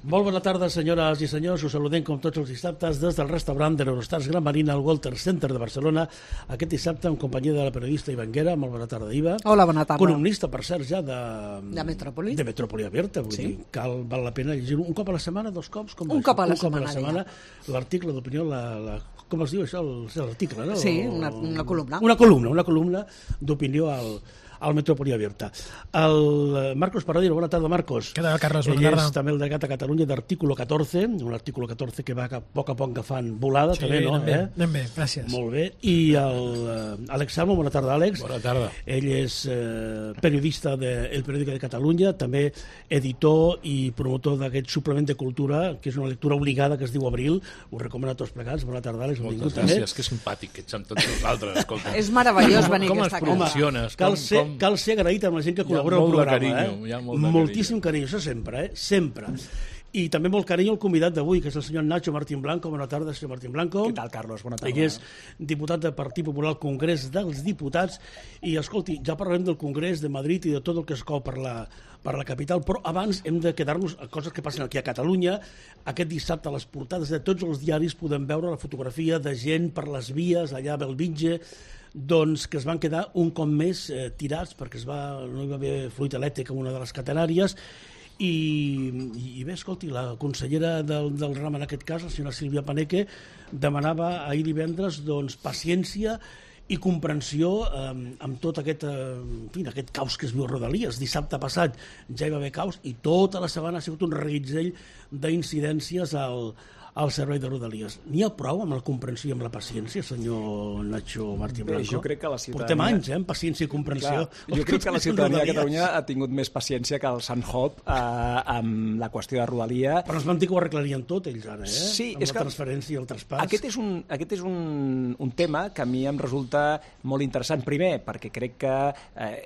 Molt bona tarda, senyores i senyors. Us saludem com tots els dissabtes des del restaurant de l'Eurostars Gran Marina al Walter Center de Barcelona. Aquest dissabte en companyia de la periodista Iva Anguera. Molt bona tarda, Iva. Hola, bona tarda. Columnista, per cert, ja de Metròpoli. De Metròpoli Abierta. Vull dir, val la pena llegir un cop a la setmana, dos cops? Un cop a la setmana. L'article d'opinió, com es diu això? L'article, no? Sí, una columna. Una columna d'opinió al Metròpoli Abierta. El Marcos Paradero, bona tarda, Marcos. Què tal, Carles? Ell és també el delegat a Catalunya d'Artículo 14, un Artículo 14 que va a poc agafant volada, sí, també, no? Anem bé, gràcies. Molt bé. I l'Àlex Salmo, bona tarda, Àlex. Bona tarda. Ell és periodista del Periódico de Catalunya, també editor i promotor d'aquest suplement de cultura, que és una lectura obligada que es diu Abril. Us recomano a tots plegats. Bona tarda, Àlex. Moltes gràcies, que simpàtic que ets amb tots nosaltres. Escolta. És meravellós venir com aquesta es promociones? Cal ser agraït amb la gent que col·labora al programa. Hi ha molt de moltíssim carinyo, això sempre, sempre. I també molt carinyo el convidat d'avui, que és el senyor Nacho Martín Blanco. Bona tarda, senyor Martín Blanco. Què tal, Carlos? Bona tarda. Ell és diputat del Partit Popular al Congrés dels Diputats. I, escolti, ja parlarem del Congrés de Madrid i de tot el que es cou per la capital, però abans hem de quedar-nos a coses que passen aquí a Catalunya. Aquest dissabte a les portades de tots els diaris podem veure la fotografia de gent per les vies allà a Belvitge, doncs que es van quedar un cop més tirats perquè no hi va haver fluid elèctric en una de les catenàries i bé, escolti, la consellera del RAM en aquest cas, la senyora Sílvia Paneque, demanava ahir divendres doncs, paciència i comprensió amb tot aquest caos que es viu a Rodalies. Dissabte passat ja hi va haver caos i tota la setmana ha sigut un reguitzell d'incidències al servei de Rodalies. N'hi ha prou amb la comprensió i amb la paciència, senyor Nacho Martín Blanco? Jo crec que la ciutadania... Portem anys, amb paciència i comprensió. Clar, jo crec que la ciutadania de Catalunya ha tingut més paciència que el Sant Hop amb la qüestió de Rodalia. Però es van dir que ho arreglarien tot, ells ara, Sí, amb és la transferència i el traspàs. Aquest és un tema que a mi em resulta molt interessant. Primer, perquè crec que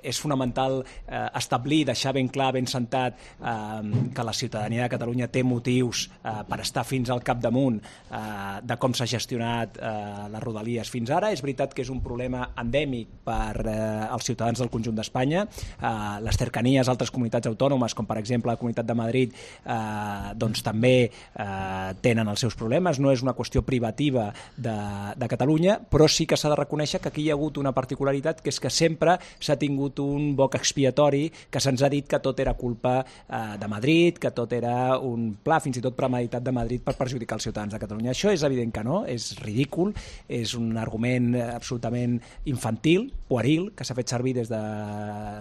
és fonamental establir, deixar ben clar, ben sentat, que la ciutadania de Catalunya té motius per estar fins al capdamunt de com s'ha gestionat les Rodalies fins ara. És veritat que és un problema endèmic per als ciutadans del conjunt d'Espanya. Les cercanies a altres comunitats autònomes, com per exemple la Comunitat de Madrid, doncs també tenen els seus problemes. No és una qüestió privativa de Catalunya, però sí que s'ha de reconèixer que aquí hi ha hagut una particularitat, que és que sempre s'ha tingut un boc expiatori, que se'ns ha dit que tot era culpa de Madrid, que tot era un pla fins i tot premeditat de Madrid per perjudicar els ciutadans de Catalunya. Això és evident que no, és ridícul, és un argument absolutament infantil, pueril, que s'ha fet servir des de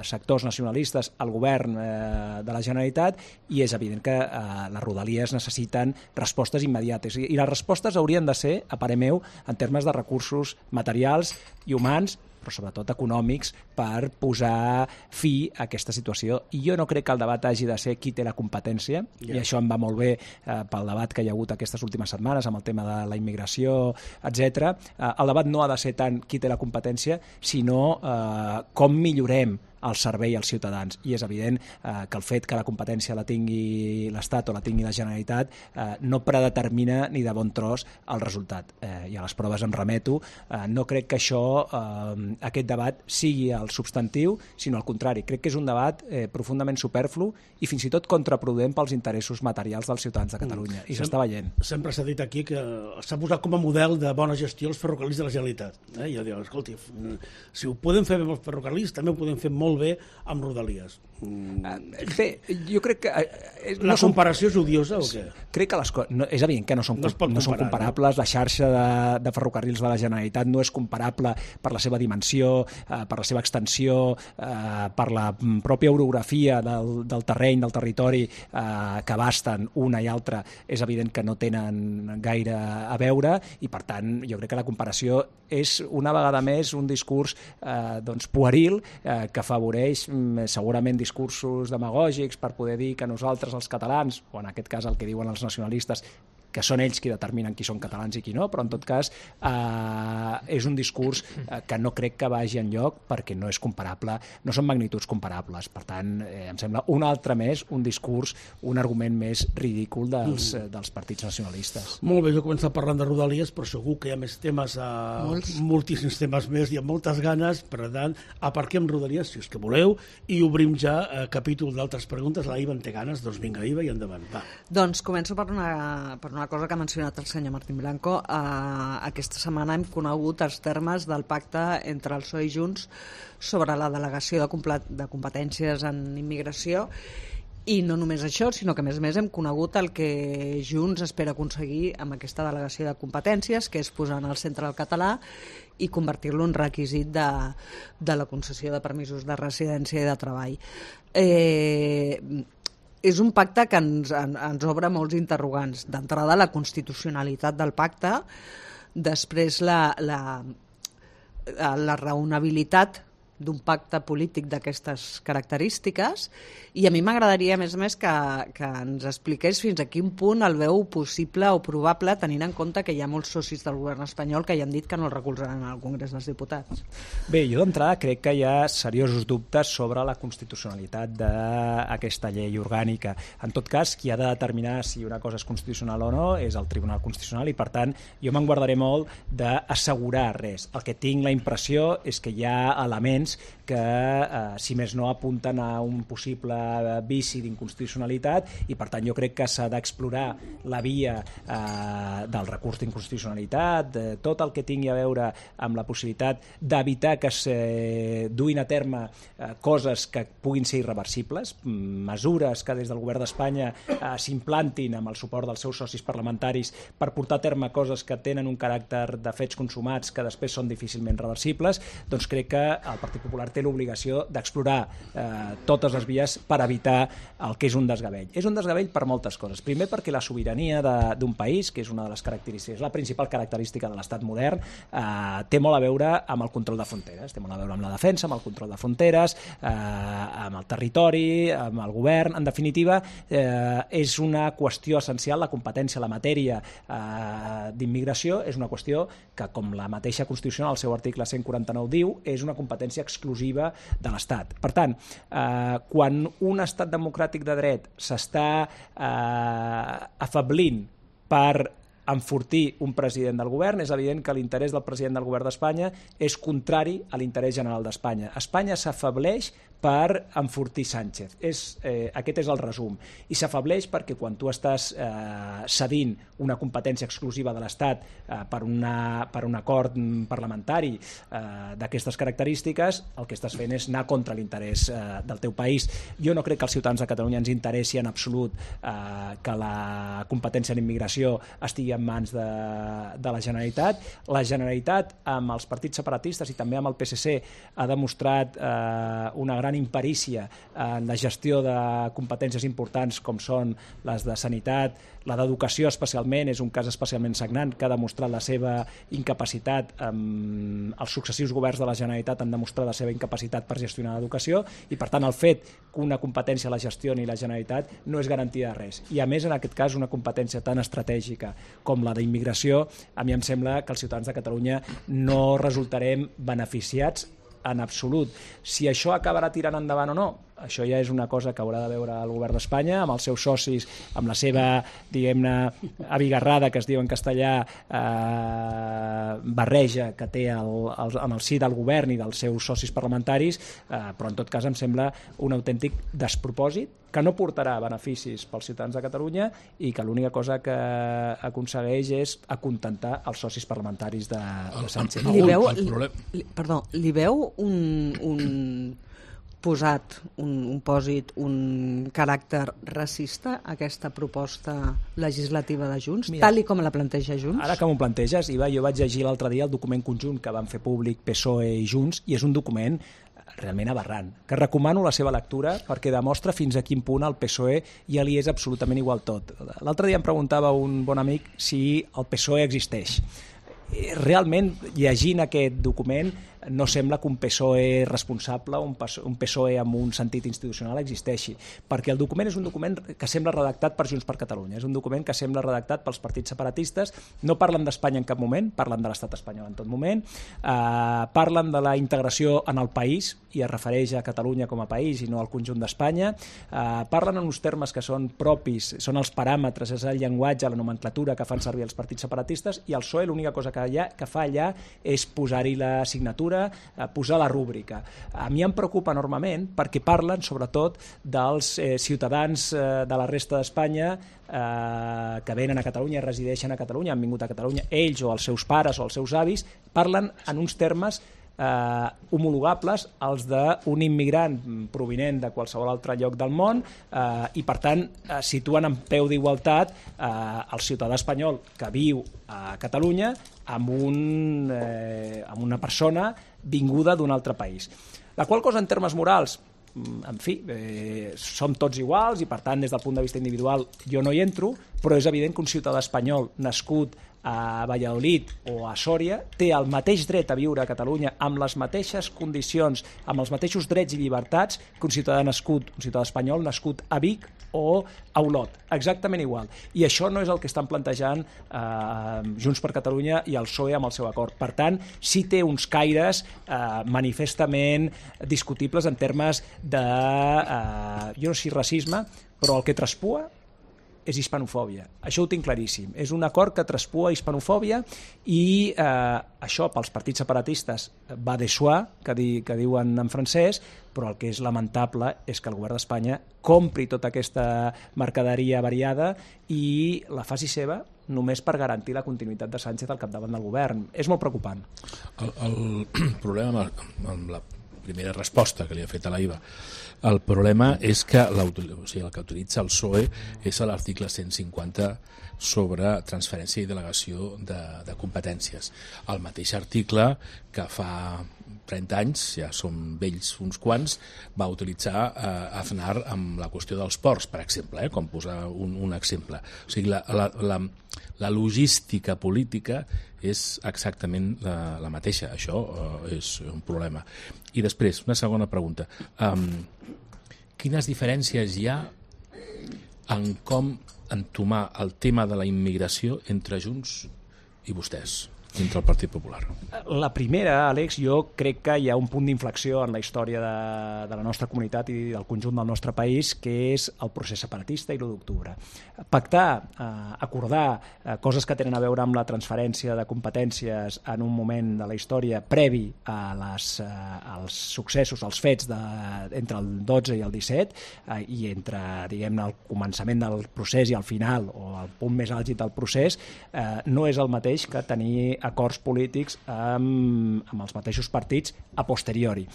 sectors nacionalistes al govern de la Generalitat, i és evident que les Rodalies necessiten respostes immediates. I les respostes haurien de ser, a parer meu, en termes de recursos materials i humans, però sobretot econòmics, per posar fi a aquesta situació. I jo no crec que el debat hagi de ser qui té la competència, i això em va molt bé pel debat que hi ha hagut aquestes últimes setmanes amb el tema de la immigració, etc. El debat no ha de ser tant qui té la competència, sinó com millorem el servei als ciutadans. I és evident que el fet que la competència la tingui l'Estat o la tingui la Generalitat no predetermina ni de bon tros el resultat. I a les proves em remeto. No crec que aquest debat sigui el substantiu, sinó al contrari. Crec que és un debat profundament superflu i fins i tot contraproduent pels interessos materials dels ciutadans de Catalunya. I s'està veient. Sempre s'ha dit aquí que s'ha posat com a model de bona gestió els ferrocarrils de la Generalitat. I jo dic, escolti, si ho podem fer bé amb els ferrocarrils, també ho podem fer molt bé amb Rodalies. Bé, jo crec que... La comparació és odiosa o què? Crec que és evident que no són comparables. La xarxa de ferrocarrils de la Generalitat no és comparable per la seva dimensió, per la seva extensió, per la pròpia orografia del terreny, del territori que abasten una i altra. És evident que no tenen gaire a veure i, per tant, jo crec que la comparació és una vegada més un discurs pueril que afavoreix segurament discursos demagògics per poder dir que nosaltres, els catalans, o en aquest cas el que diuen els nacionalistes, que són ells qui determinen qui són catalans i qui no, però en tot cas és un discurs que no crec que vagi enlloc perquè no és comparable, no són magnituds comparables. Per tant, em sembla un altre més, un discurs, un argument més ridícul dels partits nacionalistes. Molt bé, jo he començat parlant de Rodalies, però segur que hi ha més temes, moltíssims temes més, i amb moltes ganes, per tant, aparquem Rodalies, si és que voleu, i obrim ja capítol d'altres preguntes. La Iva en té ganes, doncs vinga, Iva, i endavant. Va. Doncs començo per una cosa que ha mencionat el senyor Martín Blanco. Aquesta setmana hem conegut els termes del pacte entre el PSOE i Junts sobre la delegació de competències en immigració. I no només això, sinó que a més hem conegut el que Junts espera aconseguir amb aquesta delegació de competències, que és posar en el centre el català i convertir-lo en requisit de la concessió de permisos de residència i de treball. És un pacte que ens obre molts interrogants. D'entrada, la constitucionalitat del pacte, després la raonabilitat d'un pacte polític d'aquestes característiques, i a mi m'agradaria, a més, que ens expliqués fins a quin punt el veu possible o probable, tenint en compte que hi ha molts socis del govern espanyol que ja han dit que no el recolzaran al Congrés dels Diputats. Bé, jo d'entrada crec que hi ha seriosos dubtes sobre la constitucionalitat d'aquesta llei orgànica. En tot cas, qui ha de determinar si una cosa és constitucional o no és el Tribunal Constitucional, i per tant jo me'n guardaré molt d'assegurar res. El que tinc la impressió és que hi ha elements que, si més no, apunten a un possible vici d'inconstitucionalitat, i per tant jo crec que s'ha d'explorar la via del recurs d'inconstitucionalitat, tot el que tingui a veure amb la possibilitat d'evitar que es duin a terme coses que puguin ser irreversibles, mesures que des del govern d'Espanya s'implantin amb el suport dels seus socis parlamentaris per portar a terme coses que tenen un caràcter de fets consumats que després són difícilment reversibles. Doncs crec que el Partit Popular té l'obligació d'explorar totes les vies per evitar el que és un desgavell. És un desgavell per moltes coses. Primer perquè la sobirania d'un país, que és una de les característiques, la principal característica de l'estat modern, té molt a veure amb el control de fronteres, té molt a veure amb la defensa, amb el control de fronteres, amb el territori, amb el govern. En definitiva, és una qüestió essencial, la competència, la matèria d'immigració és una qüestió que, com la mateixa Constitució, al seu article 149 diu, és una competència exclusiva de l'Estat. Per tant, quan un estat democràtic de dret s'està afablint per enfortir un president del govern, és evident que l'interès del president del govern d'Espanya és contrari a l'interès general d'Espanya. Espanya s'afableix per enfortir Sánchez. Aquest és el resum. I s'afableix perquè quan tu estàs cedint una competència exclusiva de l'Estat per un acord parlamentari d'aquestes característiques, el que estàs fent és anar contra l'interès del teu país. Jo no crec que als ciutadans de Catalunya ens interessi en absolut que la competència en immigració estigui en mans de la Generalitat. La Generalitat, amb els partits separatistes i també amb el PSC, ha demostrat una gran imperícia en la gestió de competències importants com són les de sanitat, la d'educació especialment, és un cas especialment sagnant que ha demostrat la seva incapacitat, els successius governs de la Generalitat han demostrat la seva incapacitat per gestionar l'educació, i per tant el fet que una competència la gestioni la Generalitat no és garantia de res. I a més, en aquest cas, una competència tan estratègica com la d'immigració, a mi em sembla que els ciutadans de Catalunya no resultarem beneficiats en absolut. Si això acabarà tirant endavant o no, això ja és una cosa que haurà de veure el govern d'Espanya amb els seus socis, amb la seva, diguem-ne, abigarrada, que es diu en castellà, barreja que té en el si del govern i dels seus socis parlamentaris, però en tot cas em sembla un autèntic despropòsit que no portarà beneficis pels ciutadans de Catalunya i que l'única cosa que aconsegueix és acontentar els socis parlamentaris de Sánchez. Li veu un posat, un pòsit, un caràcter racista a aquesta proposta legislativa de Junts, tal i com la planteja Junts? Ara que m'ho planteges, Iva, jo vaig llegir l'altre dia el document conjunt que van fer públic PSOE i Junts, i és un document realment aberrant, que recomano la seva lectura perquè demostra fins a quin punt el PSOE ja li és absolutament igual tot. L'altre dia em preguntava un bon amic si el PSOE existeix. Realment, llegint aquest document, no sembla que un PSOE responsable, un PSOE amb un sentit institucional existeixi, perquè el document és un document que sembla redactat per Junts per Catalunya, és un document que sembla redactat pels partits separatistes, no parlen d'Espanya en cap moment, parlen de l'estat espanyol en tot moment, parlen de la integració en el país i es refereix a Catalunya com a país i no al conjunt d'Espanya, parlen en uns termes que són propis, són els paràmetres, és el llenguatge, la nomenclatura que fan servir els partits separatistes, i el PSOE l'única cosa que fa allà és posar-hi la signatura, posar la rúbrica. A mi em preocupa enormement perquè parlen sobretot dels ciutadans de la resta d'Espanya que venen a Catalunya i resideixen a Catalunya, han vingut a Catalunya, ells o els seus pares o els seus avis, parlen en uns termes homologables als d'un immigrant provinent de qualsevol altre lloc del món i per tant situen en peu d'igualtat el ciutadà espanyol que viu a Catalunya amb una persona vinguda d'un altre país. La qual cosa en termes morals, en fi, som tots iguals i per tant des del punt de vista individual jo no hi entro, però és evident que un ciutadà espanyol nascut a Valladolid o a Sòria té el mateix dret a viure a Catalunya amb les mateixes condicions, amb els mateixos drets i llibertats que un ciutadà espanyol nascut a Vic o a Olot, exactament igual. I això no és el que estan plantejant Junts per Catalunya i el PSOE amb el seu acord. Per tant, sí té uns caires manifestament discutibles en termes de, jo no sé si racisme, però el que traspua és hispanofòbia. Això ho tinc claríssim. És un acord que traspua hispanofòbia i això pels partits separatistes va de soi, que diuen en francès, però el que és lamentable és que el govern d'Espanya compri tota aquesta mercaderia variada i la faci seva només per garantir la continuïtat de Sánchez al capdavant del govern. És molt preocupant. El problema amb la primera resposta que li ha fet a la IVA, el problema és que el que utilitza el PSOE és l'article 150 sobre transferència i delegació de competències. El mateix article que fa 30 anys, ja som vells uns quants, va utilitzar Aznar amb la qüestió dels ports, per exemple, com posar un exemple. O sigui, la logística política és exactament la mateixa. Això és un problema. I després, una segona pregunta. Quines diferències hi ha en com entomar el tema de la immigració entre Junts i vostès, entre el Partit Popular? La primera, Àlex, jo crec que hi ha un punt d'inflexió en la història de la nostra comunitat i del conjunt del nostre país, que és el procés separatista i l'1 d'octubre. Pactar, acordar coses que tenen a veure amb la transferència de competències en un moment de la història previ als successos, als fets entre el 12 i el 17 i entre, diguem-ne, el començament del procés i el final o el punt més àlgid del procés, no és el mateix que tenir acords polítics amb els mateixos partits a posteriori.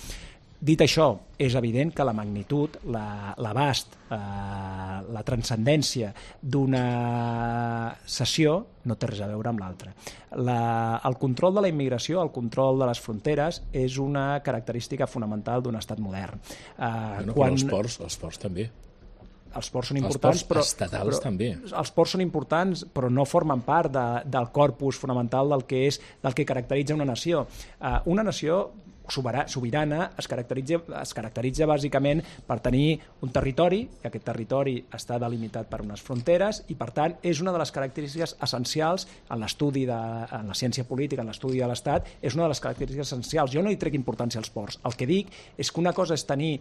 Dit això, és evident que la magnitud, l'abast, la transcendència d'una sessió no té res a veure amb l'altra. El control de la immigració, el control de les fronteres, és una característica fonamental d'un estat modern. Però els ports també. Els ports són importants, però estatals també. Els ports són importants, però no formen part del corpus fonamental del que caracteritza una nació. Una nació sobirana es caracteritza bàsicament per tenir un territori, i aquest territori està delimitat per unes fronteres, i per tant és una de les característiques essencials en l'estudi, en la ciència política, en l'estudi de l'Estat, és una de les característiques essencials. Jo no hi trec importància als ports. El que dic és que una cosa és tenir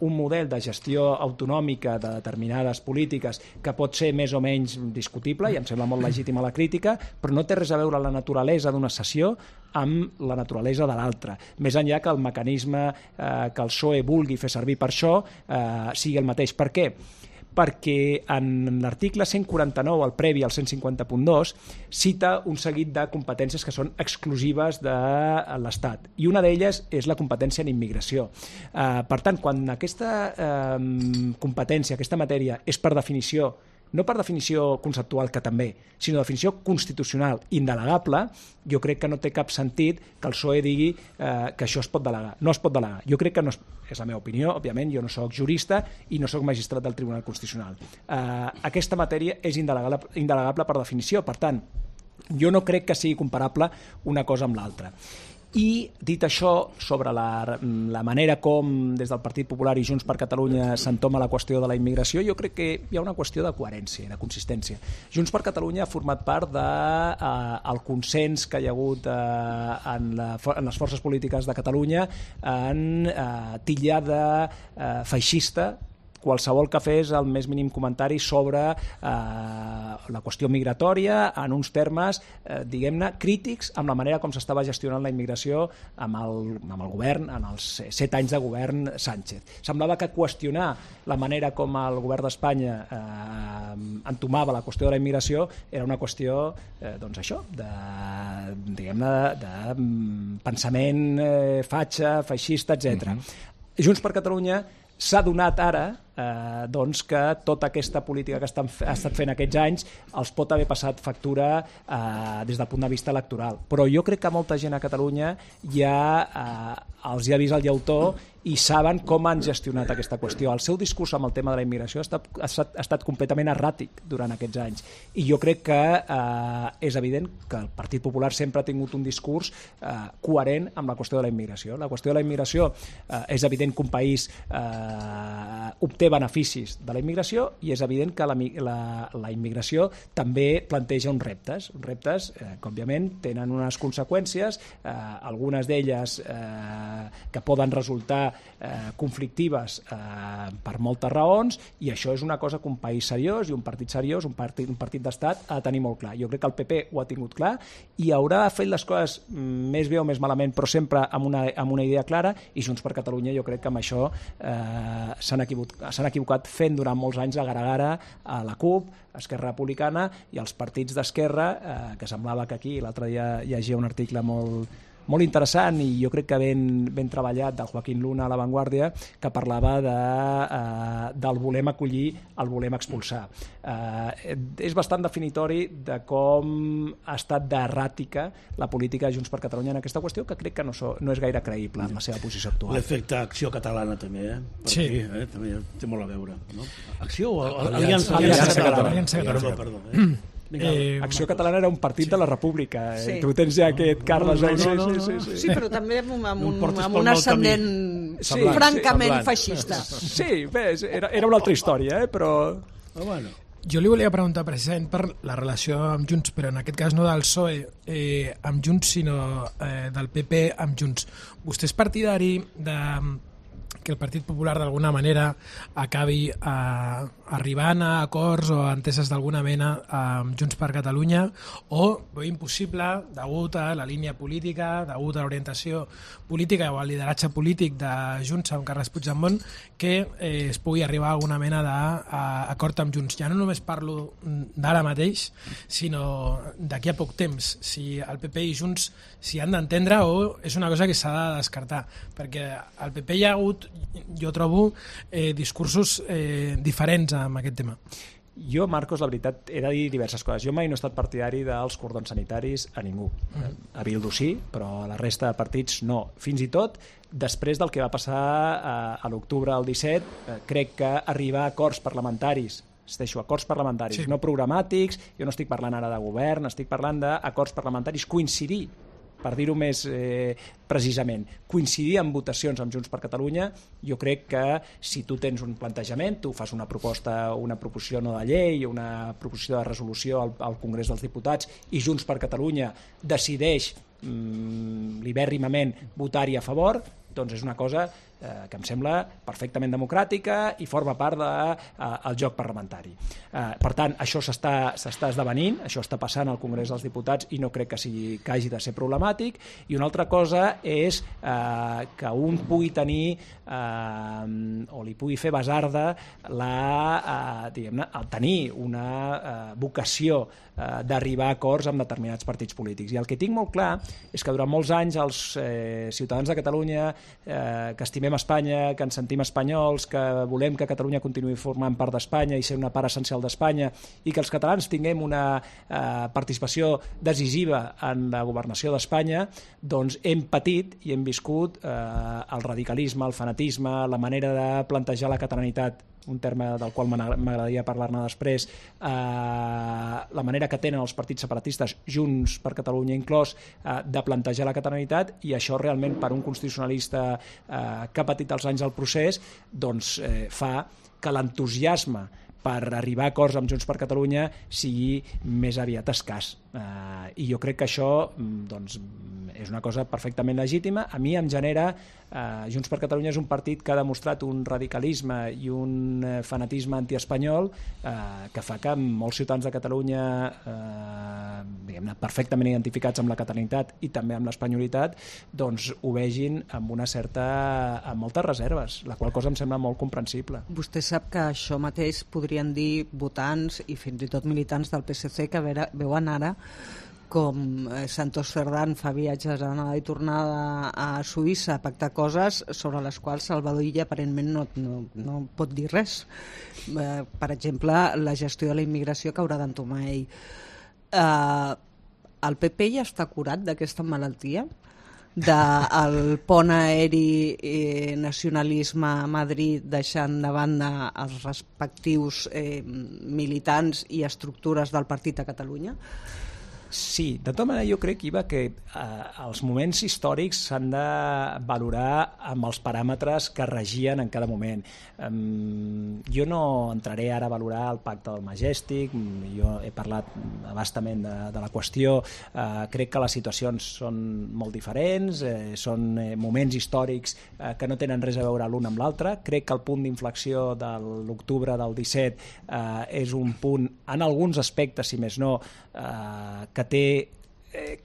un model de gestió autonòmica de determinades polítiques que pot ser més o menys discutible, i em sembla molt legítima la crítica, però no té res a veure la naturalesa d'una sessió amb la naturalesa de l'altra. Més enllà que el mecanisme que el PSOE vulgui fer servir per això sigui el mateix. Per què? Perquè en l'article 149, el previ al 150.2, cita un seguit de competències que són exclusives de l'Estat, i una d'elles és la competència en immigració. Per tant, quan aquesta competència, aquesta matèria, és per definició, no per definició conceptual, que també, sinó definició constitucional indelegable, jo crec que no té cap sentit que el PSOE digui que això es pot delegar. No es pot delegar. Jo crec que no és la meva opinió, òbviament, jo no soc jurista i no soc magistrat del Tribunal Constitucional. Aquesta matèria és indelegable per definició, per tant, jo no crec que sigui comparable una cosa amb l'altra. I, dit això, sobre la manera com des del Partit Popular i Junts per Catalunya s'entoma la qüestió de la immigració, jo crec que hi ha una qüestió de coherència i de consistència. Junts per Catalunya ha format part del consens que hi ha hagut en les forces polítiques de Catalunya en titllar de feixista qualsevol que fes el més mínim comentari sobre la qüestió migratòria en uns termes, diguem-ne, crítics amb la manera com s'estava gestionant la immigració amb el govern, en els 7 anys de govern Sánchez. Semblava que qüestionar la manera com el govern d'Espanya entomava la qüestió de la immigració era una qüestió, doncs això, diguem-ne, de pensament fatxa, feixista, etc. Junts per Catalunya s'ha donat ara doncs que tota aquesta política que ha estat fent aquests anys els pot haver passat factura des del punt de vista electoral. Però jo crec que molta gent a Catalunya ja els hi ha vist el llautó i saben com han gestionat aquesta qüestió. El seu discurs amb el tema de la immigració ha estat completament erràtic durant aquests anys. I jo crec que és evident que el Partit Popular sempre ha tingut un discurs coherent amb la qüestió de la immigració. La qüestió de la immigració és evident que un país obté beneficis de la immigració i és evident que la immigració també planteja uns reptes que òbviament tenen unes conseqüències, algunes d'elles que poden resultar conflictives per moltes raons, i això és una cosa que un país seriós i un partit seriós, un partit d'estat, ha de tenir molt clar. Jo crec que el PP ho ha tingut clar i haurà fet les coses més bé o més malament, però sempre amb una idea clara, i Junts per Catalunya jo crec que amb això s'han equivocat fent durant molts anys agar-agar a la CUP, a Esquerra Republicana i als partits d'esquerra, que semblava que aquí l'altre dia llegia un article molt interessant i jo crec que ben treballat del Joaquín Luna a La Vanguardia, que parlava del volem acollir, el volem expulsar. És bastant definitori de com ha estat d'erràtica la política de Junts per Catalunya en aquesta qüestió, que crec que no és gaire creïble en la seva posició actual. L'efecte Acció Catalana també, Sí. Aquí, també té molt a veure. No? Acció o Aliança Catalana. Perdó. Acció Catalana era un partit de la República. Sí. Tu tens ja aquest Carles... Sí, però també amb portis pel un mal ascendent camí. francament Semblant. feixista. Sí, bé, era una altra història, però... Bueno. Jo li volia preguntar precisament per la relació amb Junts, però en aquest cas no del PSOE amb Junts, sinó del PP amb Junts. Vostè és partidari de que el Partit Popular d'alguna manera acabi arribant a acords o enteses d'alguna mena amb Junts per Catalunya, o veu impossible, degut a la línia política, degut a l'orientació política o al lideratge polític de Junts amb Carles Puigdemont, que es pugui arribar a alguna mena d'acord amb Junts. Ja no només parlo d'ara mateix, sinó d'aquí a poc temps, si el PP i Junts s'hi han d'entendre o és una cosa que s'ha de descartar, perquè al PP hi ha hagut, jo trobo, discursos diferents amb aquest tema. Jo, Marcos, la veritat, he de dir diverses coses. Jo mai no he estat partidari dels cordons sanitaris a ningú. A Bildu sí, però a la resta de partits no. Fins i tot, després del que va passar a l'octubre del 17, crec que arribar a acords parlamentaris, acords parlamentaris, no programàtics, jo no estic parlant ara de govern, estic parlant d'acords parlamentaris, coincidir, per dir-ho més precisament, coincidir en votacions amb Junts per Catalunya. Jo crec que si tu tens un plantejament, tu fas una proposició no de llei, una proposició de resolució al Congrés dels Diputats i Junts per Catalunya decideix libèrrimament votar-hi a favor, doncs és una cosa que em sembla perfectament democràtica i forma part del joc parlamentari. Per tant, això s'està esdevenint, això està passant al Congrés dels Diputats i no crec que hagi de ser problemàtic. I una altra cosa és que un pugui tenir o li pugui fer basarda tenir una vocació d'arribar a acords amb determinats partits polítics. I el que tinc molt clar és que durant molts anys els ciutadans de Catalunya que estimem Espanya, que ens sentim espanyols, que volem que Catalunya continuï formant part d'Espanya i ser una part essencial d'Espanya i que els catalans tinguem una participació decisiva en la governació d'Espanya, doncs hem patit i hem viscut el radicalisme, el fanatisme, la manera de plantejar la catalanitat, un terme del qual m'agradaria parlar-ne després, la manera que tenen els partits separatistes, Junts per Catalunya inclòs, de plantejar la catalanitat, i això realment per un constitucionalista que ha patit els anys del procés doncs, fa que l'entusiasme per arribar a acords amb Junts per Catalunya sigui més aviat escàs. I jo crec que això doncs, és una cosa perfectament legítima. A mi em genera... Junts per Catalunya és un partit que ha demostrat un radicalisme i un fanatisme antiespanyol que fa que molts ciutadans de Catalunya diguem-ne, perfectament identificats amb la catalanitat i també amb l'espanyolitat, doncs ho vegin amb moltes reserves, la qual cosa em sembla molt comprensible. Vostè sap que això mateix podrien dir votants i fins i tot militants del PSC que veuen ara com Santos Cerdán fa viatges anada i tornada a Suïssa a pactar coses sobre les quals Salvador Illa aparentment no pot dir res. Per exemple, la gestió de la immigració que haurà d'entomar ell. El PP ja està curat d'aquesta malaltia? Del pont aeri nacionalisme a Madrid deixant de banda els respectius militants i estructures del partit a Catalunya? Sí, de tota manera jo crec, Iva, que els moments històrics s'han de valorar amb els paràmetres que regien en cada moment. Jo no entraré ara a valorar el pacte del Majestic, jo he parlat abastament de la qüestió, crec que les situacions són molt diferents, són moments històrics que no tenen res a veure l'un amb l'altre. Crec que el punt d'inflexió de l'octubre del 17 és un punt, en alguns aspectes, si més no, que té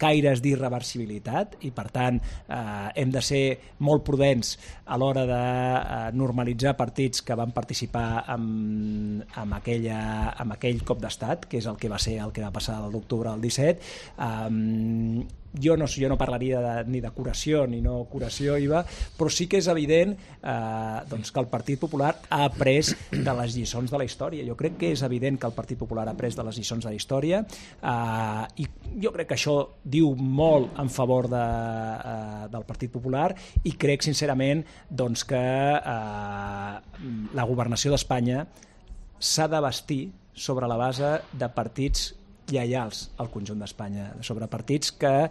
caires d'irreversibilitat i per tant hem de ser molt prudents a l'hora de normalitzar partits que van participar amb aquell cop d'estat, que és el que va passar l'octubre del 17. Jo no parlaria ni de curació ni no curació, Iva, però sí que és evident doncs que el Partit Popular ha après de les lliçons de la història. Jo crec que és evident que el Partit Popular ha après de les lliçons de la història i jo crec que això diu molt en favor del Partit Popular i crec sincerament doncs, que la governació d'Espanya s'ha de bastir sobre la base de partits lleials al conjunt d'Espanya, sobre partits que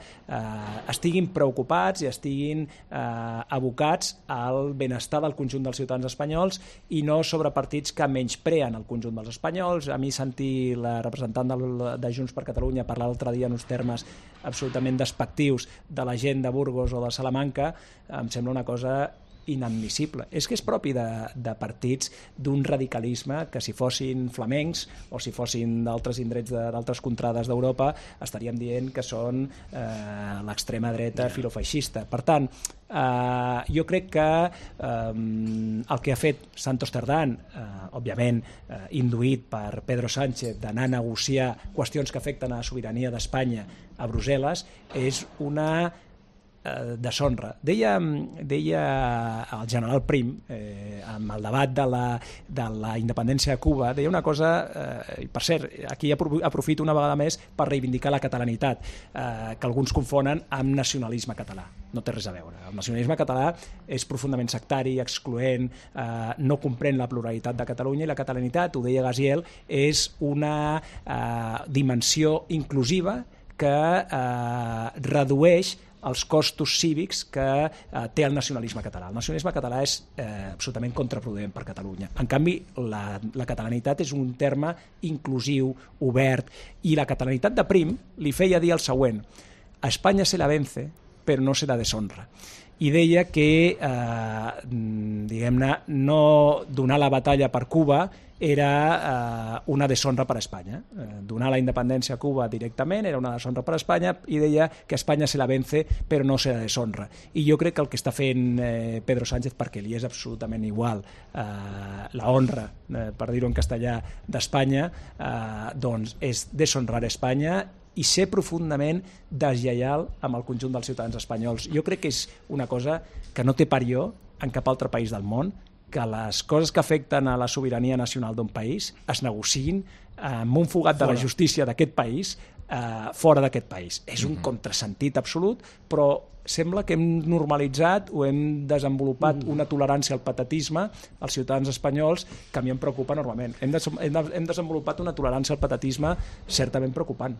estiguin preocupats i estiguin abocats al benestar del conjunt dels ciutadans espanyols i no sobre partits que menyspreen el conjunt dels espanyols. A mi sentir la representant de Junts per Catalunya parlar l'altre dia en uns termes absolutament despectius de la gent de Burgos o de Salamanca em sembla una cosa inadmissible. És que és propi de partits d'un radicalisme que si fossin flamencs o si fossin d'altres indrets d'altres contrades d'Europa estaríem dient que són l'extrema dreta filofeixista. Per tant, jo crec que el que ha fet Santos Cerdán, òbviament induït per Pedro Sánchez d'anar a negociar qüestions que afecten a la sobirania d'Espanya a Brussel·les, és una deshonra. Deia el general Prim amb el debat de la independència de Cuba, deia una cosa i per cert, aquí aprofito una vegada més per reivindicar la catalanitat que alguns confonen amb nacionalisme català. No té res a veure. El nacionalisme català és profundament sectari, excloent, no comprèn la pluralitat de Catalunya i la catalanitat, ho deia Gaziel, és una dimensió inclusiva que redueix els costos cívics que té el nacionalisme català. El nacionalisme català és absolutament contraproduent per Catalunya. En canvi, la catalanitat és un terme inclusiu, obert, i la catalanitat de Prim li feia dir el següent: a Espanya se la vence, però no se la deshonra. I deia que, diguem-ne, no donar la batalla per Cuba era una deshonra per a Espanya. Donar la independència a Cuba directament era una deshonra per a Espanya i deia que Espanya se la vence però no se la deshonra. I jo crec que el que està fent Pedro Sánchez, perquè li és absolutament igual la honra, per dir-ho en castellà, d'Espanya, doncs és deshonrar Espanya i ser profundament deslleial amb el conjunt dels ciutadans espanyols. Jo crec que és una cosa que no té parió en cap altre país del món, que les coses que afecten a la sobirania nacional d'un país es negociïn amb un fugat de la justícia d'aquest país fora d'aquest país. És un contrasentit absolut, però sembla que hem normalitzat o hem desenvolupat una tolerància al patatisme als ciutadans espanyols que a mi em preocupa enormement. Hem desenvolupat una tolerància al patatisme certament preocupant.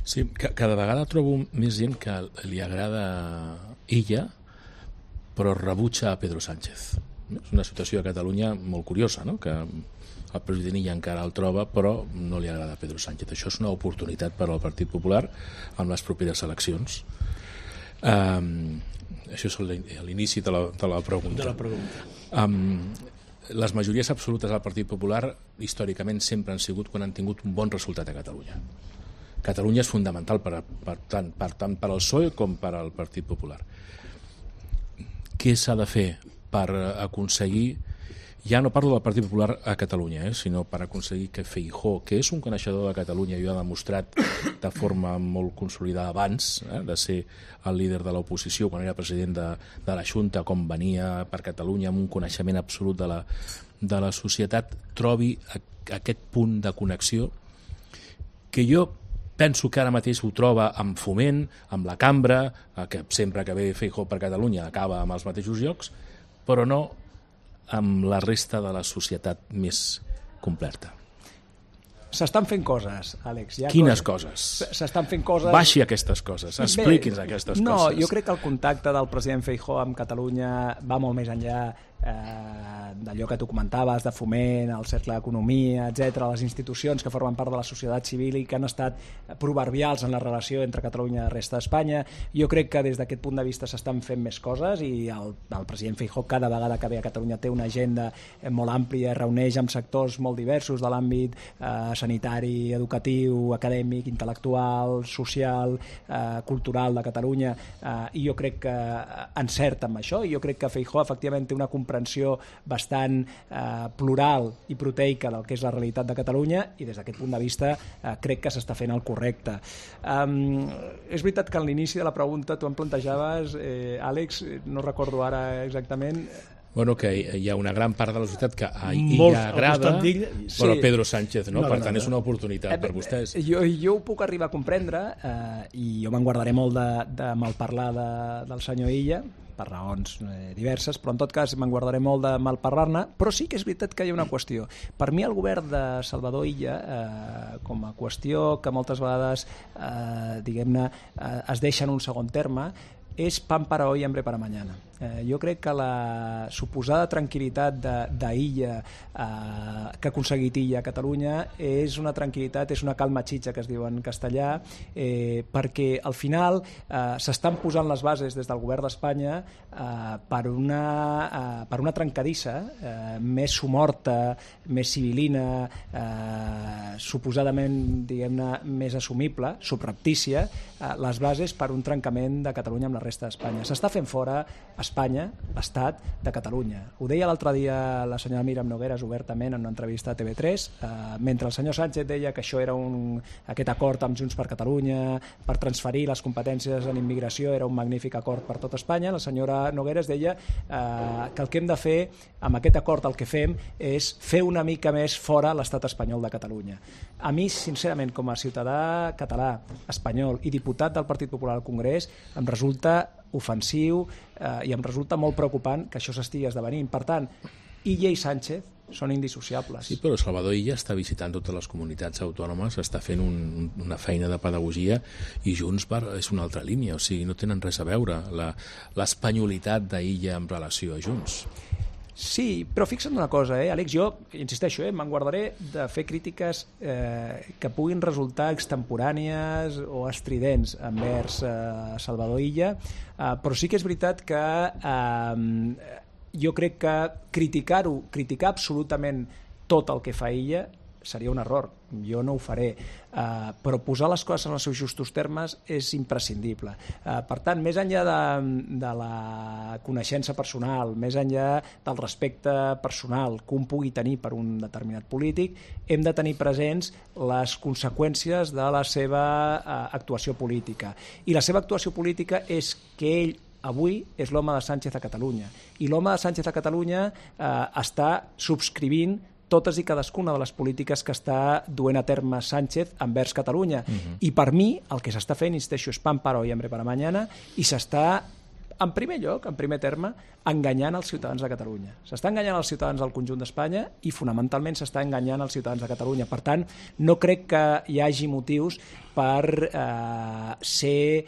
Sí, cada vegada trobo més gent que li agrada Illa, però rebutja a Pedro Sánchez. És una situació a Catalunya molt curiosa, no? Que el president Illa encara el troba, però no li agrada a Pedro Sánchez. Això és una oportunitat per al Partit Popular amb les properes eleccions. Això és l'inici de la pregunta. Les majories absolutes del Partit Popular històricament sempre han sigut quan han tingut un bon resultat a Catalunya. Catalunya és fundamental tant per al PSOE com per al Partit Popular. Què s'ha de fer per aconseguir, ja no parlo del Partit Popular a Catalunya, sinó per aconseguir que Feijóo, que és un coneixedor de Catalunya i ho ha demostrat de forma molt consolidada abans de ser el líder de l'oposició quan era president de la Junta, com venia per Catalunya amb un coneixement absolut de la societat, trobi aquest punt de connexió que jo penso que ara mateix ho troba amb Foment, amb la Cambra, que sempre que ve Feijóo per Catalunya acaba amb els mateixos llocs, però no amb la resta de la societat més completa. S'estan fent coses, Àlex. Quines coses? S'estan fent coses... Baixi aquestes coses, expliqui'ns aquestes coses. No, jo crec que el contacte del president Feijóo amb Catalunya va molt més enllà d'allò que tu comentaves, de Foment, el Cercle d'Economia, etc., les institucions que formen part de la societat civil i que han estat proverbials en la relació entre Catalunya i la resta d'Espanya. Jo crec que des d'aquest punt de vista s'estan fent més coses i el president Feijóo cada vegada que ve a Catalunya té una agenda molt àmplia, reuneix amb sectors molt diversos de l'àmbit sanitari, educatiu, acadèmic, intel·lectual, social, cultural de Catalunya, i jo crec que encerta amb això, i jo crec que Feijóo efectivament té una comprensió bastant plural i proteica del que és la realitat de Catalunya, i des d'aquest punt de vista crec que s'està fent el correcte. És veritat que en l'inici de la pregunta tu em plantejaves, Àlex, no recordo ara exactament... Bueno, que hi ha una gran part de la societat que a ella agrada, però Pedro Sánchez no, per tant és una oportunitat per vostès. Jo ho puc arribar a comprendre, i jo me'n guardaré molt de malparlar del senyor Illa, per raons diverses, però en tot cas me'n guardaré molt de malparlar-ne, però sí que és veritat que hi ha una qüestió. Per mi el govern de Salvador Illa, com a qüestió que moltes vegades diguem-ne es deixa en un segon terme, és pan para hoy, hambre para mañana. Jo crec que la suposada tranquil·litat d'Illa que ha aconseguit Illa a Catalunya és una tranquil·litat, és una calma xitxa que es diu en castellà, perquè al final s'estan posant les bases des del govern d'Espanya per una trencadissa més somorta, més civilina, suposadament, diguem-ne, més assumible, subreptícia, les bases per un trencament de Catalunya amb la resta d'Espanya. S'està fent fora Espanya, l'Estat de Catalunya. Ho deia l'altre dia la senyora Míriam Nogueras obertament en una entrevista a TV3, mentre el senyor Sánchez deia que això era aquest acord amb Junts per Catalunya per transferir les competències en immigració era un magnífic acord per tot Espanya, la senyora Nogueras deia que el que hem de fer amb aquest acord, el que fem és fer una mica més fora l'estat espanyol de Catalunya. A mi, sincerament, com a ciutadà català, espanyol i diputat del Partit Popular al Congrés, em resulta ofensiu i em resulta molt preocupant que això s'estigui esdevenint. Per tant, Illa i Sánchez són indissociables. Sí, però Salvador Illa està visitant totes les comunitats autònomes, està fent una feina de pedagogia, i Junts és una altra línia, o sigui, no tenen res a veure l'espanyolitat d'Illa en relació a Junts. Sí, però fixa't una cosa, Àlex, jo insisteixo, me'n guardaré de fer crítiques que puguin resultar extemporànies o estridents envers Salvador Illa, però sí que és veritat que jo crec que criticar absolutament tot el que fa Illa seria un error, jo no ho faré, però posar les coses en els seus justos termes és imprescindible. Per tant, més enllà de la coneixença personal, més enllà del respecte personal que un pugui tenir per un determinat polític, hem de tenir presents les conseqüències de la seva actuació política. I la seva actuació política és que ell avui és l'home de Sánchez a Catalunya, i l'home de Sánchez a Catalunya està subscrivint totes i cadascuna de les polítiques que està duent a terme Sánchez envers Catalunya. I per mi, el que s'està fent, insisteixo, és pan para hoy, hambre para mañana, i s'està, en primer lloc, en primer terme, enganyant els ciutadans de Catalunya. S'està enganyant els ciutadans del conjunt d'Espanya i fonamentalment s'està enganyant els ciutadans de Catalunya. Per tant, no crec que hi hagi motius per ser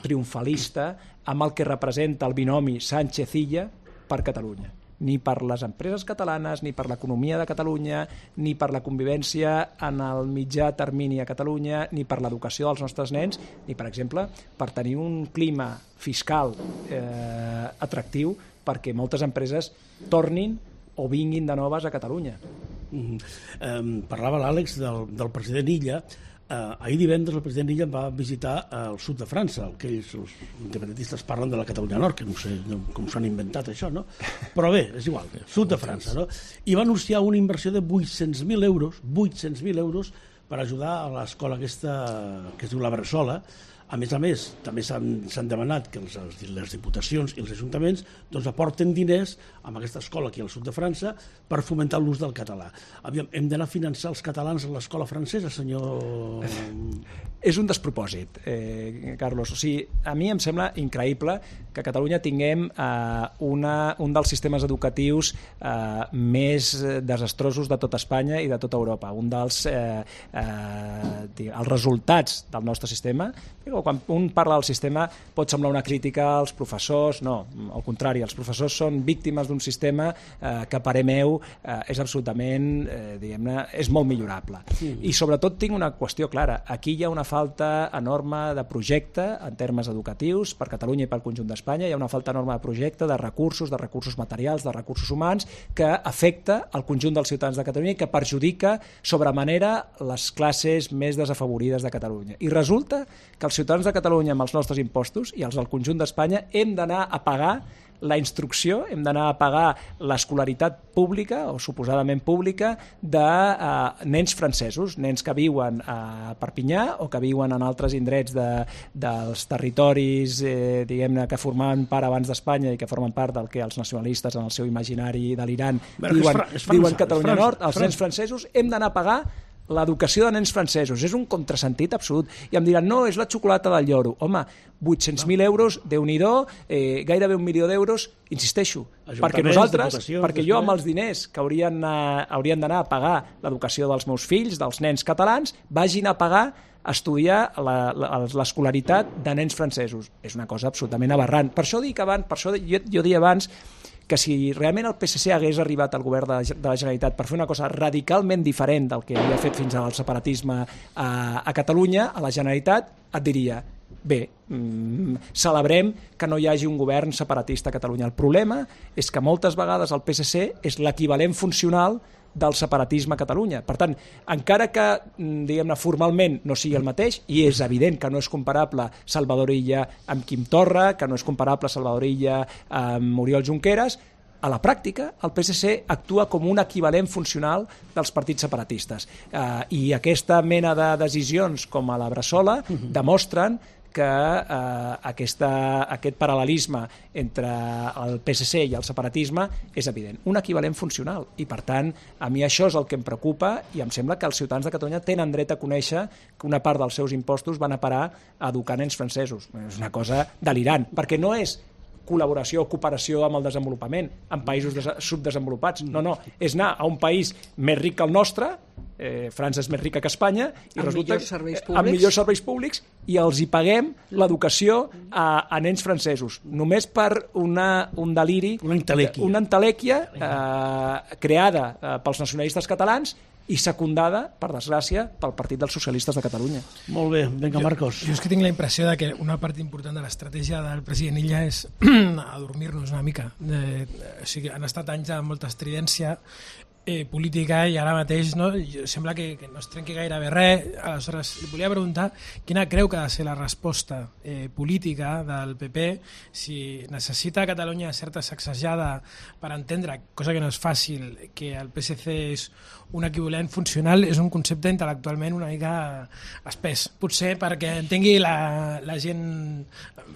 triomfalista amb el que representa el binomi Sánchez-Illa per Catalunya. Ni per les empreses catalanes, ni per l'economia de Catalunya, ni per la convivència en el mitjà termini a Catalunya, ni per l'educació dels nostres nens, ni, per exemple, per tenir un clima fiscal atractiu perquè moltes empreses tornin o vinguin de noves a Catalunya. Parlava l'Àlex del president Illa. Ahir divendres el president Illa va visitar el sud de França, el que ells, els independentistes, parlen de la Catalunya Nord, que no sé com s'han inventat això, no? Però bé, és igual, sud de França, no? I va anunciar una inversió de 800.000 euros per ajudar a l'escola aquesta que es diu la Bressola. A més, també s'han demanat que les diputacions i els ajuntaments doncs, aporten diners a aquesta escola aquí al sud de França per fomentar l'ús del català. Hem d'anar a finançar els catalans a l'escola francesa, senyor... És un despropòsit, Carlos. O sigui, a mi em sembla increïble que a Catalunya tinguem un dels sistemes educatius més desastrosos de tota Espanya i de tota Europa. Un dels els resultats del nostre sistema. Quan un parla del sistema pot semblar una crítica als professors. No, al contrari, els professors són víctimes d'un sistema que a parer meu és absolutament, diguem-ne, és molt millorable. I sobretot tinc una qüestió clara. Aquí hi ha una falta enorme de projecte en termes educatius per Catalunya i pel conjunt d'Espanya. Hi ha una falta enorme de projecte, de recursos materials, de recursos humans, que afecta el conjunt dels ciutadans de Catalunya i que perjudica sobremanera les classes més desafavorides de Catalunya. I resulta que els ciutadans de Catalunya amb els nostres impostos i els del conjunt d'Espanya hem d'anar a pagar la instrucció, hem d'anar a pagar l'escolaritat pública o suposadament pública de nens francesos, nens que viuen a Perpinyà o que viuen en altres indrets dels territoris diguem-ne que formaven part abans d'Espanya i que formen part del que els nacionalistes en el seu imaginari delirant diuen Catalunya Nord. Els nens francesos hem d'anar a pagar l'educació de nens francesos. És un contrasentit absolut. I em diran, no, és la xocolata del lloro. Home, 800.000 euros, Déu-n'hi-do, gairebé 1 milió d'euros, insisteixo, perquè nosaltres, perquè jo amb els diners que haurien d'anar a pagar l'educació dels meus fills, dels nens catalans, vagin a pagar estudiar l'escolaritat de nens francesos. És una cosa absolutament aberrant. Per això dic abans, per això jo deia abans que si realment el PSC hagués arribat al govern de la Generalitat per fer una cosa radicalment diferent del que havia fet fins ara el separatisme a Catalunya, a la Generalitat, et diria, bé, celebrem que no hi hagi un govern separatista a Catalunya. El problema és que moltes vegades el PSC és l'equivalent funcional del separatisme a Catalunya. Per tant, encara que, diguem-ne, formalment no sigui el mateix, i és evident que no és comparable Salvador Illa amb Quim Torra, que no és comparable Salvador Illa amb Oriol Junqueras, a la pràctica el PSC actua com un equivalent funcional dels partits separatistes. I aquesta mena de decisions com a la Bressola demostren que aquest paral·lelisme entre el PSC i el separatisme és evident, un equivalent funcional, i per tant a mi això és el que em preocupa i em sembla que els ciutadans de Catalunya tenen dret a conèixer que una part dels seus impostos van a parar a educar nens francesos. És una cosa delirant, perquè no és col·laboració o cooperació amb el desenvolupament en països subdesenvolupats, no, és anar a un país més ric que el nostre, França és més rica que Espanya, i amb resulta amb millors serveis públics, i els hi paguem l'educació a nens francesos, només per un deliri, una entelèquia creada pels nacionalistes catalans i secundada, per desgràcia, pel Partit dels Socialistes de Catalunya. Molt bé, vinga, Marcos. Jo és que tinc la impressió de que una part important de l'estratègia del president Illa és adormir-nos una mica. O sigui, han estat anys de molta estridència política i ara mateix sembla que no es trenqui gairebé res. Aleshores, li volia preguntar quina creu que ha de ser la resposta política del PP, si necessita Catalunya certa sacsejada per entendre, cosa que no és fàcil, que el PSC és un equivalent funcional. És un concepte intel·lectualment una mica espès, potser perquè entengui la gent,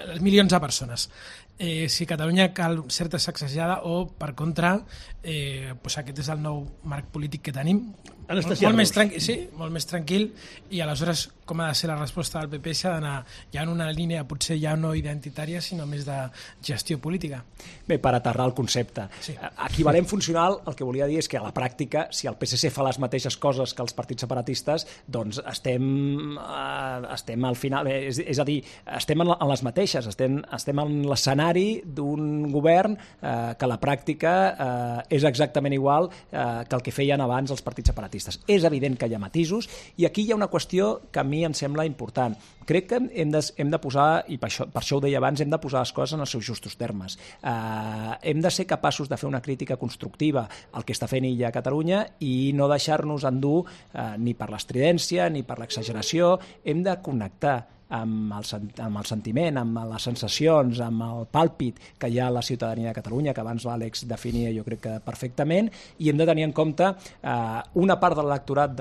els milions de persones. si a Catalunya cal certa sacsejada o, per contra, aquest és el nou marc polític que tenim, molt més tranquil, i aleshores com ha de ser la resposta del PP s'ha d'anar ja en una línia potser ja no identitària sinó més de gestió política. Bé, per aterrar el concepte. Sí. Equivalent funcional, el que volia dir és que a la pràctica, si el PSC fa les mateixes coses que els partits separatistes, doncs estem al final, és a dir, estem en les mateixes, estem en l'escenari d'un govern que a la pràctica és exactament igual que el que feien abans els partits separatistes. És evident que hi ha matisos i aquí hi ha una qüestió que a mi em sembla important. Crec que hem de posar, i per això ho deia abans, hem de posar les coses en els seus justos termes. Hem de ser capaços de fer una crítica constructiva al que està fent Illa a Catalunya i no deixar-nos endur ni per l'estridència ni per l'exageració. Hem de connectar amb el sentiment, amb les sensacions, amb el pàlpit que hi ha a la ciutadania de Catalunya, que abans l'Àlex definia jo crec que perfectament, i hem de tenir en compte una part de l'electorat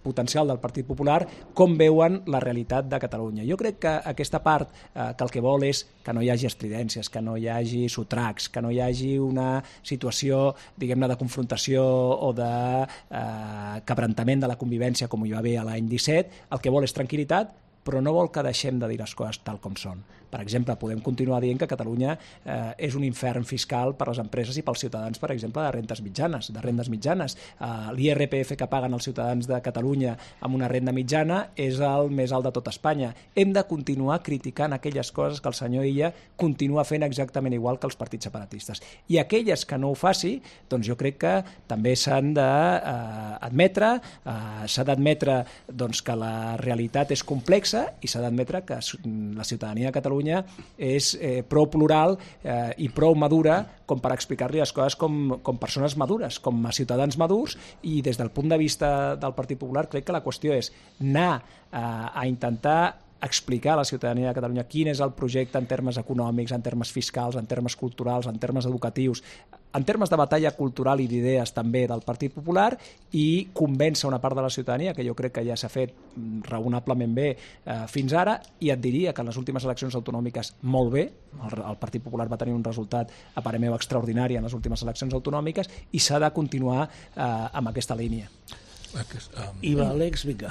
potencial del Partit Popular com veuen la realitat de Catalunya. Jo crec que aquesta part que el que vol és que no hi hagi estridències, que no hi hagi sotracs, que no hi hagi una situació, diguem-ne, de confrontació o de quebrantament de la convivència com hi va haver l'any 17, el que vol és tranquil·litat, però no vol que deixem de dir les coses tal com són. Per exemple, podem continuar dient que Catalunya és un infern fiscal per a les empreses i pels ciutadans, per exemple, de rendes mitjanes. L'IRPF que paguen els ciutadans de Catalunya amb una renda mitjana és el més alt de tot Espanya. Hem de continuar criticant aquelles coses que el senyor Illa continua fent exactament igual que els partits separatistes. I aquelles que no ho faci, doncs jo crec que també s'han d'admetre, que la realitat és complexa i s'ha d'admetre que la ciutadania de Catalunya és prou plural i prou madura com per explicar-li les coses com persones madures, com a ciutadans madurs, i des del punt de vista del Partit Popular crec que la qüestió és anar a intentar explicar a la ciutadania de Catalunya quin és el projecte en termes econòmics, en termes fiscals, en termes culturals, en termes educatius, en termes de batalla cultural i d'idees també del Partit Popular, i convèncer una part de la ciutadania, que jo crec que ja s'ha fet raonablement bé fins ara, i et diria que en les últimes eleccions autonòmiques molt bé, el Partit Popular va tenir un resultat a parer meu extraordinari en les últimes eleccions autonòmiques, i s'ha de continuar amb aquesta línia. Àlex, vinga.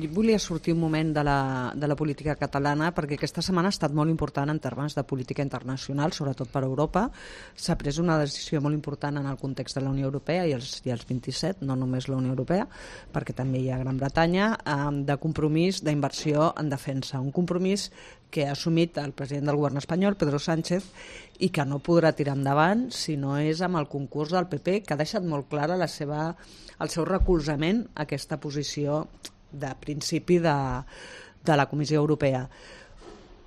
Volia sortir un moment de la política catalana perquè aquesta setmana ha estat molt important en termes de política internacional, sobretot per Europa. S'ha pres una decisió molt important en el context de la Unió Europea i els 27, no només la Unió Europea, perquè també hi ha Gran Bretanya, de compromís d'inversió en defensa. Un compromís que ha assumit el president del govern espanyol, Pedro Sánchez, i que no podrà tirar endavant si no és amb el concurs del PP, que ha deixat molt clara el seu recolzament a aquesta posició de principi de la Comissió Europea.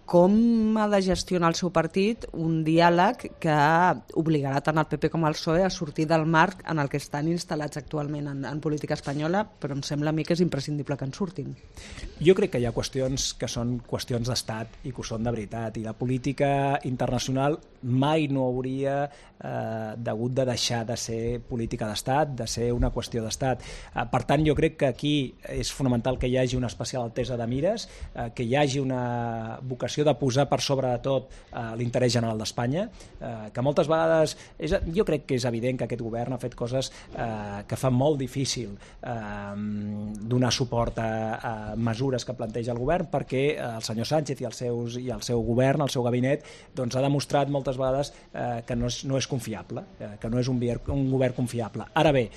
Com ha de gestionar el seu partit un diàleg que obligarà tant el PP com el PSOE a sortir del marc en el que estan instal·lats actualment en política espanyola, però em sembla a mi que és imprescindible que en surtin. Jo crec que hi ha qüestions que són qüestions d'estat i que ho són de veritat, i la política internacional mai no hauria hagut de deixar de ser política d'estat, de ser una qüestió d'estat. Per tant, jo crec que aquí és fonamental que hi hagi una especial altesa de mires, que hi hagi una vocació de posar per sobre de tot l'interès general d'Espanya, que moltes vegades jo crec que és evident que aquest govern ha fet coses que fan molt difícil donar suport a mesures que planteja el govern, perquè el senyor Sánchez i el seu govern, el seu gabinet, doncs ha demostrat moltes vegades que no és confiable, que no és un govern confiable. Ara bé,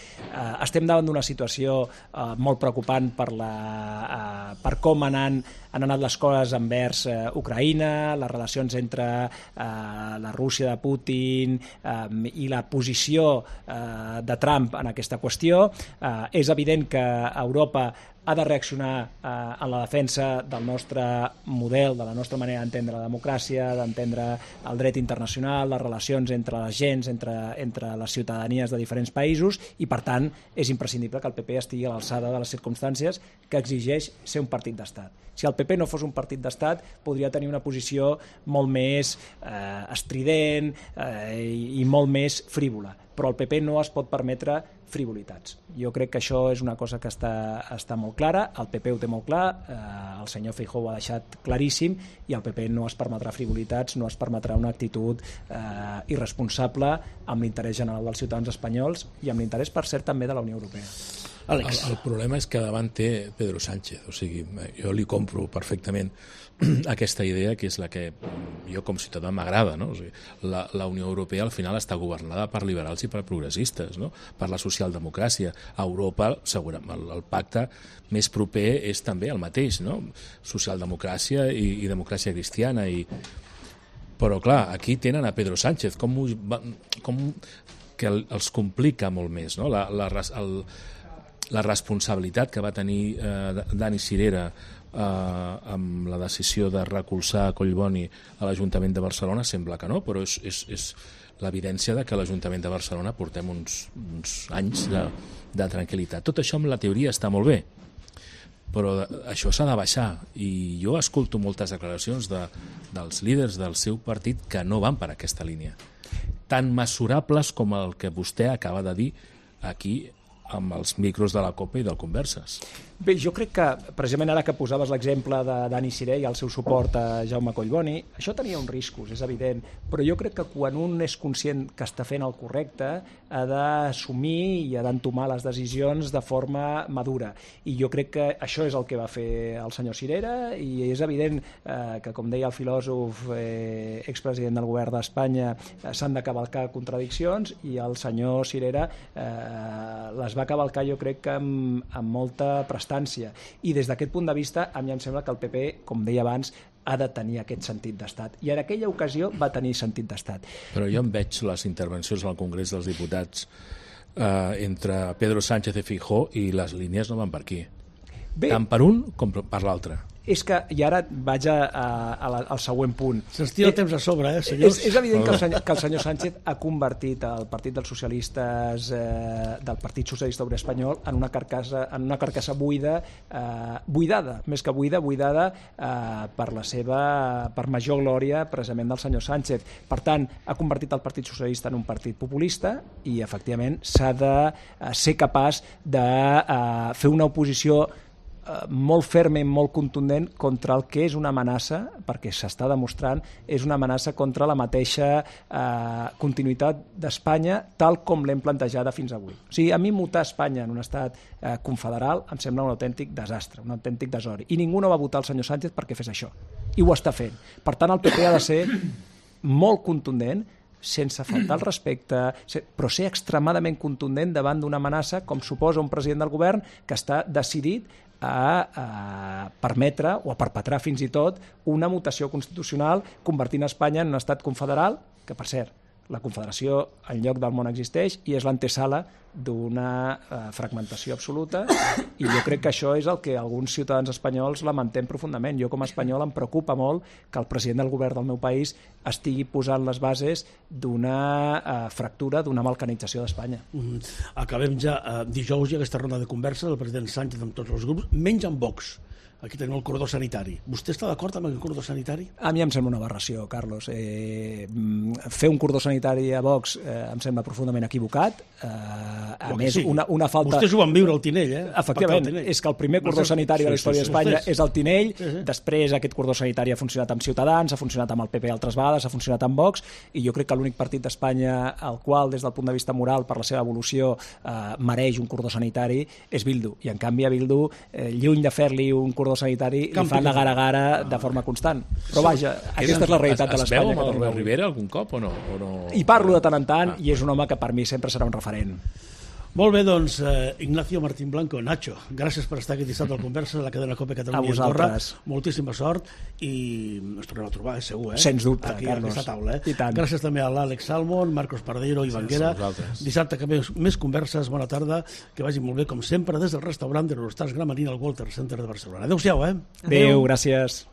estem davant d'una situació molt preocupant per com han anat les coses envers Ucraïna, les relacions entre la Rússia de Putin i la posició de Trump en aquesta qüestió. És evident que Europa ha de reaccionar en la defensa del nostre model, de la nostra manera d'entendre la democràcia, d'entendre el dret internacional, les relacions entre les gens, entre les ciutadanies de diferents països, i per tant és imprescindible que el PP estigui a l'alçada de les circumstàncies que exigeix ser un partit d'estat. Si el PP no fos un partit d'estat, podria tenir una posició molt més estrident i molt més frívola. però el PP no es pot permetre frivolitats. Jo crec que això és una cosa que està molt clara, el PP ho té molt clar, el senyor Feijóo ho ha deixat claríssim, i el PP no es permetrà frivolitats, no es permetrà una actitud irresponsable amb l'interès general dels ciutadans espanyols i amb l'interès, per cert, també de la Unió Europea. El problema és que davant té Pedro Sánchez, o sigui, jo li compro perfectament aquesta idea, que és la que jo com ciutadà m'agrada, no? O sigui, la Unió Europea al final està governada per liberals i per progressistes, no? Per la socialdemocràcia. A Europa, segurament, el pacte més proper és també el mateix, no? Socialdemocràcia i democràcia cristiana. Però clar, aquí tenen a Pedro Sánchez, que els complica molt més, no? La responsabilitat que va tenir Dani Sirera amb la decisió de recolzar Collboni a l'Ajuntament de Barcelona sembla que no, però és l'evidència de que a l'Ajuntament de Barcelona portem uns anys de tranquil·litat. Tot això amb la teoria està molt bé, però això s'ha de baixar, i jo escolto moltes declaracions dels líders del seu partit que no van per aquesta línia, tan mesurables com el que vostè acaba de dir aquí amb els micros de la COPE i del Converses. Bé, jo crec que, precisament ara que posaves l'exemple de Dani Siré i el seu suport a Jaume Collboni, això tenia uns riscos, és evident, però jo crec que quan un és conscient que està fent el correcte, ha d'assumir i ha d'entomar les decisions de forma madura. I jo crec que això és el que va fer el senyor Sirera, i és evident que, com deia el filòsof expresident del govern d'Espanya, s'han de cavalcar contradiccions, i el senyor Sirera les va cavalcar, jo crec que amb molta prestància. I des d'aquest punt de vista, a mi em sembla que el PP, com deia abans, ha de tenir aquest sentit d'estat. I en aquella ocasió va tenir sentit d'estat. Però jo em veig les intervencions al Congrés dels Diputats entre Pedro Sánchez i Feijóo, i les línies no van per aquí. Bé, tant per un com per l'altre. És que, i ara vaig al següent punt. Se'ns tira el temps a sobre, senyors. És evident que el senyor Sánchez ha convertit el Partit dels Socialistes, del Partit Socialista Obrer Espanyol, en una carcassa buidada, més que buidada per major glòria precisament del senyor Sánchez. Per tant, ha convertit el Partit Socialista en un partit populista, i efectivament s'ha de ser capaç de fer una oposició molt ferma i molt contundent contra el que és una amenaça, perquè s'està demostrant, és una amenaça contra la mateixa continuïtat d'Espanya tal com l'hem plantejada fins avui. O sigui, a mi mutar Espanya en un estat confederal em sembla un autèntic desastre, un autèntic desori. I ningú no va votar el senyor Sánchez perquè fes això. I ho està fent. Per tant, el PP ha de ser molt contundent, sense faltar el respecte, però ser extremadament contundent davant d'una amenaça com suposa un president del govern que està decidit a permetre o a perpetrar fins i tot una mutació constitucional convertint Espanya en un estat confederal, que per cert, la confederació en lloc del món existeix i és l'antesala d'una fragmentació absoluta, i jo crec que això és el que alguns ciutadans espanyols lamentem profundament. Jo com a espanyol em preocupa molt que el president del govern del meu país estigui posant les bases d'una fractura, d'una balcanització d'Espanya. Acabem ja dijous i aquesta ronda de conversa del president Sánchez amb tots els grups, menys amb Vox. Aquí tenim el cordó sanitari. Vostè està d'acord amb el cordó sanitari? A mi em sembla una aberració, Carlos. Fer un cordó sanitari a Vox em sembla profundament equivocat. A més, una falta... Vostès ho van viure al Tinell, Efectivament, és que el primer cordó sanitari de la història d'Espanya és el Tinell, després aquest cordó sanitari ha funcionat amb Ciutadans, ha funcionat amb el PP altres vegades, ha funcionat amb Vox, i jo crec que l'únic partit d'Espanya al qual, des del punt de vista moral, per la seva evolució, mereix un cordó sanitari és Bildu. I en canvi a Bildu, lluny de fer-li un cordó sanitari, li fan la gara-gara de forma constant. Però vaja, aquesta és la realitat de l'Espanya. Es veu amb Albert Rivera algun cop o no? Hi parlo de tant en tant, i és un home que per mi sempre serà un referent. Molt bé, doncs, Ignacio Martín Blanco, Nacho, gràcies per estar aquest dissabte al Conversa de la cadena COPE Catalunya i Andorra. Moltíssima sort, i ens tornem a trobar, segur, Sens dubte, aquí, Carlos. a aquesta taula. I tant. Gràcies també a l'Àlex Salmon, Marcos Pardeiro i Banguera. Dissabte que més converses, bona tarda, que vagi molt bé, com sempre, des del restaurant de l'Eurostars Gramenet al Walter Center de Barcelona. Adéu-siau, Adéu, gràcies.